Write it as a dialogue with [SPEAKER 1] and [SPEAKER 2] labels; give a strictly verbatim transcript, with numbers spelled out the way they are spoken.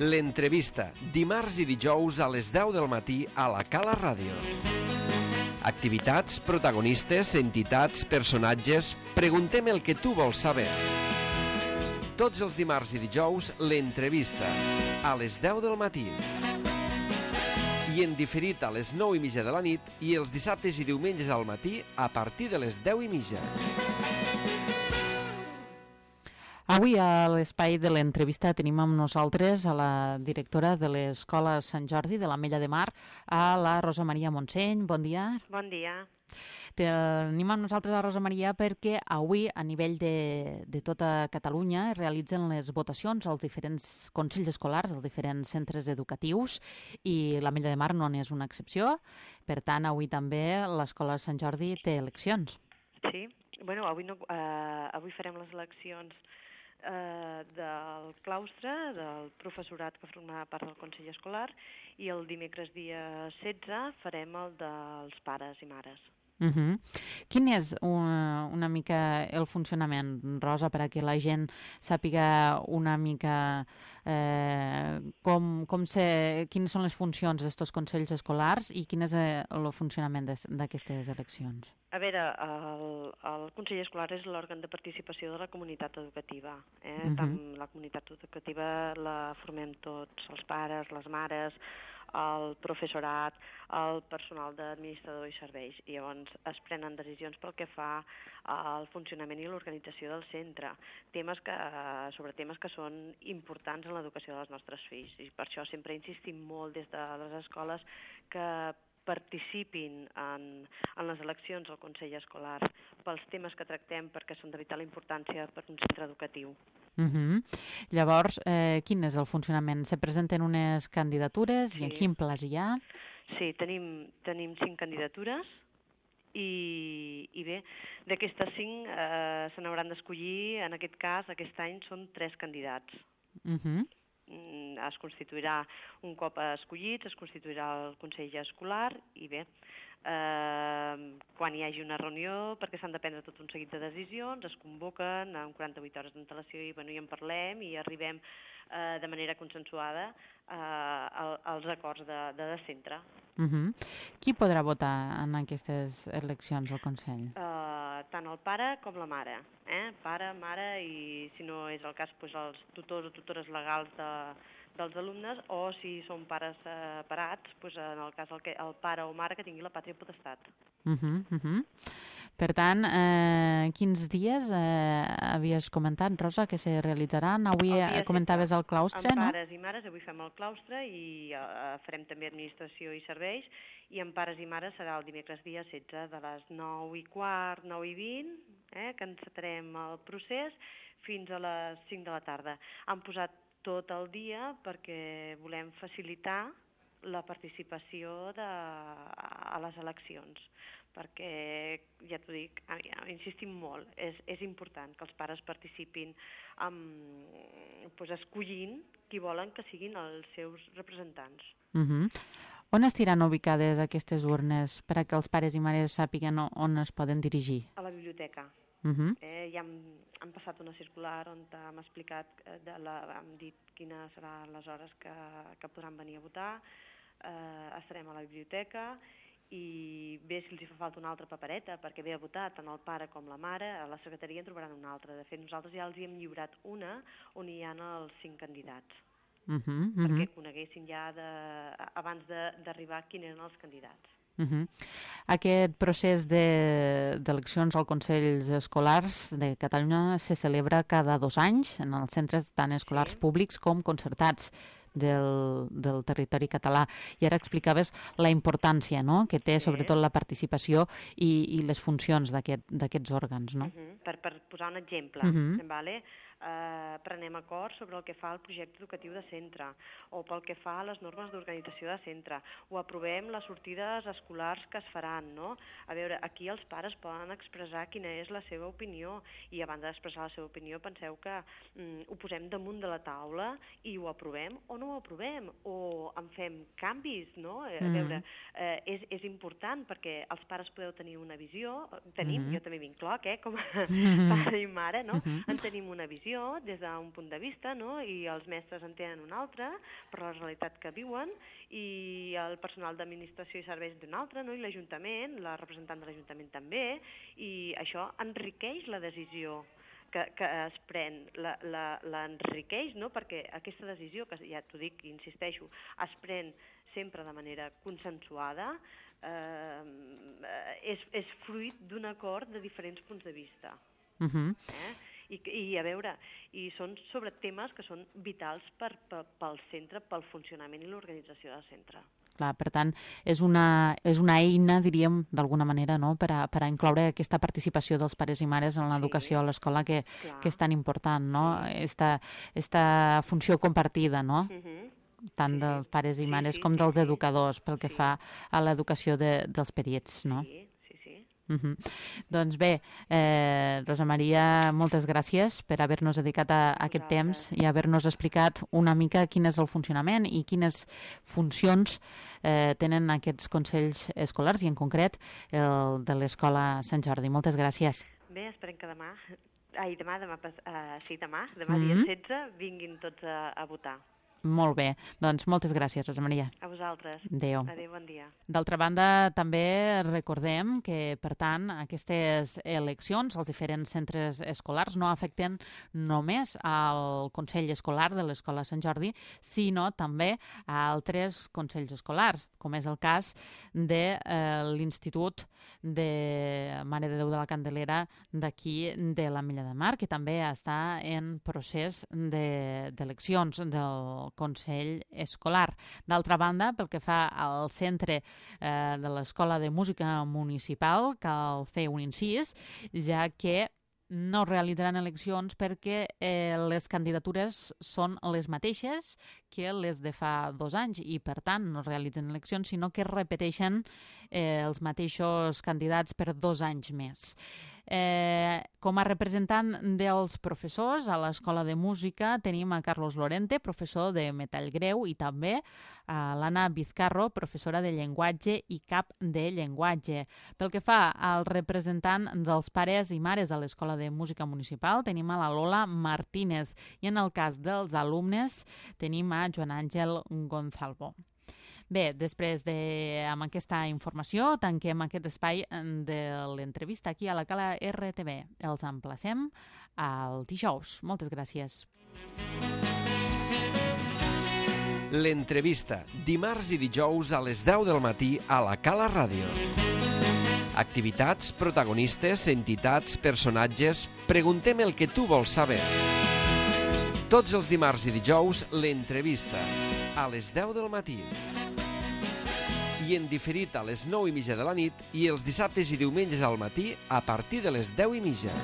[SPEAKER 1] L'entrevista, dimarts i dijous a les deu del matí a la Cala Ràdio. Activitats, protagonistes, entitats, personatges... Preguntem el que tu vols saber. Tots els dimarts i dijous, l'entrevista, a les deu del matí. I en diferit a les nou i mitja de la nit i els dissabtes i diumenges al matí a partir de les deu i mitja.
[SPEAKER 2] Avui a l'espai de l'entrevista tenim amb nosaltres a la directora de l'Escola Sant Jordi de l'Ametlla de Mar, a la Rosa Maria Montseny. Bon dia.
[SPEAKER 3] Bon dia.
[SPEAKER 2] Tenim amb nosaltres a Rosa Maria perquè avui a nivell de, de tota Catalunya es realitzen les votacions als diferents consells escolars, als diferents centres educatius, i l'Ametlla de Mar no n'és una excepció. Per tant, avui també l'Escola Sant Jordi té eleccions.
[SPEAKER 3] Sí, bueno, avui, no, eh, avui farem les eleccions eh, del claustre, del professorat que formarà part del Consell Escolar, i el dimecres dia setze farem el dels pares i mares.
[SPEAKER 2] Uh -huh. Quin és una, una mica el funcionament, Rosa, perquè la gent sàpiga una mica eh, com, com se, quines són les funcions d'estos consells escolars i quin és el funcionament d'aquestes eleccions?
[SPEAKER 3] A veure, el, el Consell Escolar és l'òrgan de participació de la comunitat educativa. Eh? Uh-huh. Tant la comunitat educativa la formem tots, els pares, les mares, el professorat, el personal d'administrador i serveis. I llavors es prenen decisions pel que fa al funcionament i l'organització del centre, temes que, sobre temes que són importants en l'educació dels nostres fills. I per això sempre insistim molt des de les escoles que participin en, en les eleccions al Consell Escolar pels temes que tractem, perquè són de vital importància per un centre educatiu.
[SPEAKER 2] Uh -huh. Llavors, eh, quin és el funcionament? Se presenten unes candidatures sí. I en quin plaç hi ha?
[SPEAKER 3] Sí, tenim, tenim cinc candidatures i, i bé, d'aquestes cinc eh, se n'hauran d'escollir, en aquest cas, aquest any són tres candidats.
[SPEAKER 2] Uh -huh.
[SPEAKER 3] Es constituirà, un cop escollits, es constituirà el Consell Escolar i bé, eh, quan hi hagi una reunió, perquè s'han de prendre tot un seguit de decisions, es convoquen amb quaranta-vuit hores d'antelació i, bueno, i en parlem i arribem eh, de manera consensuada eh, als acords de, de, de centre.
[SPEAKER 2] Uh -huh. Qui podrà votar en aquestes eleccions al Consell?
[SPEAKER 3] Uh, tant el pare com la mare. Eh? Pare, mare i, si no és el cas, doncs els tutors o tutores legals de, dels alumnes, o si són pares separats, doncs en el cas el, que, el pare o mare que tingui la pàtria potestat.
[SPEAKER 2] Uh -huh, uh -huh. Per tant, eh, quins dies eh, havies comentat, Rosa, que se realitzaran? Avui el comentaves el claustre, no?
[SPEAKER 3] Amb pares i mares, avui fem el claustre i eh, farem també administració i serveis, i amb pares i mares serà el dimecres dia setze de les nou i quart, nou i vint, eh, que encetarem el procés fins a les cinc de la tarda. Han posat tot el dia perquè volem facilitar la participació de, a les eleccions, perquè, ja t'ho dic, insistim molt, és, és important que els pares participin amb, pues, escollint qui volen que siguin els seus representants.
[SPEAKER 2] Uh-huh. On estiran ubicades aquestes urnes per a que els pares i mares sàpiguen on es poden dirigir?
[SPEAKER 3] A la biblioteca.
[SPEAKER 2] Uh-huh.
[SPEAKER 3] Eh, ja hem, hem passat una circular on hem explicat, de la, hem dit quines seran les hores que, que podran venir a votar. Eh, estarem a la biblioteca i bé, si els hi fa falta una altra papereta perquè ve a votar tant el pare com la mare, a la secretaria en trobaran una altra. De fet, nosaltres ja els hi hem lliurat una on hi ha els cinc candidats. Uh -huh, uh -huh. Perquè coneguessin ja de, abans d'arribar quins eren els candidats.
[SPEAKER 2] Uh -huh. Aquest procés d'eleccions de, al Consells Escolars de Catalunya se celebra cada dos anys en els centres tant escolars sí. públics com concertats del, del territori català. I ara explicaves la importància, no?, que té sí. sobretot la participació i, i les funcions d'aquests òrgans, no?
[SPEAKER 3] Uh -huh. per, per posar un exemple, uh -huh. vale? eh, prenem acords sobre el que fa el projecte educatiu de centre o pel que fa a les normes d'organització de centre, o aprovem les sortides escolars que es faran, no? A veure, aquí els pares poden expressar quina és la seva opinió i abans d'expressar la seva opinió penseu que mm, ho posem damunt de la taula i ho aprovem o no ho aprovem? O en fem canvis, no? A
[SPEAKER 2] Mm.
[SPEAKER 3] veure, eh, és, és important perquè els pares podeu tenir una visió, tenim,
[SPEAKER 2] Mm.
[SPEAKER 3] jo també m'incloc, eh, com a
[SPEAKER 2] Mm.
[SPEAKER 3] pare i mare, no?
[SPEAKER 2] Mm.
[SPEAKER 3] En tenim una visió des d'un punt de vista, no? I els mestres en tenen una altra per la realitat que viuen, i el personal d'administració i serveis d'un altre, no? I l'Ajuntament, la representant de l'Ajuntament també, i això enriqueix la decisió que, que es pren, l'enriqueix, no? Perquè aquesta decisió, que ja t'ho dic i insisteixo, es pren sempre de manera consensuada, eh, és, és fruit d'un acord de diferents punts de vista.
[SPEAKER 2] Uh -huh.
[SPEAKER 3] eh? I, I a veure, i són sobre temes que són vitals per, per, pel centre, pel funcionament i l'organització del centre.
[SPEAKER 2] Clar, per tant, és una, és una eina, diríem, d'alguna manera, no?, per a, per a incloure aquesta participació dels pares i mares en l'educació a l'escola, que, que és tan important, no?, esta, esta funció compartida, no?,
[SPEAKER 3] Uh-huh.
[SPEAKER 2] tant
[SPEAKER 3] Sí,
[SPEAKER 2] dels pares i
[SPEAKER 3] sí,
[SPEAKER 2] mares
[SPEAKER 3] sí,
[SPEAKER 2] com
[SPEAKER 3] sí,
[SPEAKER 2] dels
[SPEAKER 3] sí.
[SPEAKER 2] educadors, pel que
[SPEAKER 3] Sí.
[SPEAKER 2] fa a l'educació de, dels petits, no?
[SPEAKER 3] Sí, sí, sí.
[SPEAKER 2] Uh-huh. Doncs bé, eh, Rosa Maria, moltes gràcies per haver-nos dedicat a, a aquest temps i haver-nos explicat una mica quin és el funcionament i quines funcions eh, tenen aquests consells escolars i en concret el de l'Escola Sant Jordi. Moltes gràcies.
[SPEAKER 3] Bé, esperem que demà, ai, demà, demà, pas- uh, sí, demà, demà
[SPEAKER 2] Mhm.
[SPEAKER 3] dia setze, vinguin tots a, a votar.
[SPEAKER 2] Molt bé, doncs moltes gràcies, Rosa Maria.
[SPEAKER 3] A vosaltres.
[SPEAKER 2] Adéu.
[SPEAKER 3] Adéu, bon dia.
[SPEAKER 2] D'altra banda, també recordem que, per tant, aquestes eleccions als diferents centres escolars no afecten només al Consell Escolar de l'Escola Sant Jordi, sinó també a altres consells escolars, com és el cas de eh, l'Institut de Mare de Déu de la Candelera d'aquí de l'Ametlla de Mar, que també està en procés de- d'eleccions del Consell Escolar. D'altra banda, pel que fa al centre eh, de l'Escola de Música Municipal, cal fer un incís, ja que no realitzaran eleccions perquè eh, les candidatures són les mateixes que les de fa dos anys i, per tant, no realitzen eleccions, sinó que repeteixen eh, els mateixos candidats per dos anys més. Eh, com a representant dels professors a l'Escola de Música tenim a Carlos Lorente, professor de metall greu, i també a l'Anna Vizcarro, professora de llenguatge i cap de llenguatge. Pel que fa al representant dels pares i mares a l'Escola de Música Municipal tenim a la Lola Martínez i en el cas dels alumnes tenim a Joan Àngel Gonzalvo. Bé, després de, amb aquesta informació, tanquem aquest espai de l'entrevista aquí a la Cala R T V. Els emplacem al dijous. Moltes gràcies.
[SPEAKER 1] L'entrevista, dimarts i dijous a les deu del matí a la Cala Ràdio. Activitats, protagonistes, entitats, personatges... Preguntem el que tu vols saber. Tots els dimarts i dijous, l'entrevista, a les deu del matí. I en diferit a les nou i mitja de la nit i els dissabtes i diumenges al matí a partir de les deu i mitja.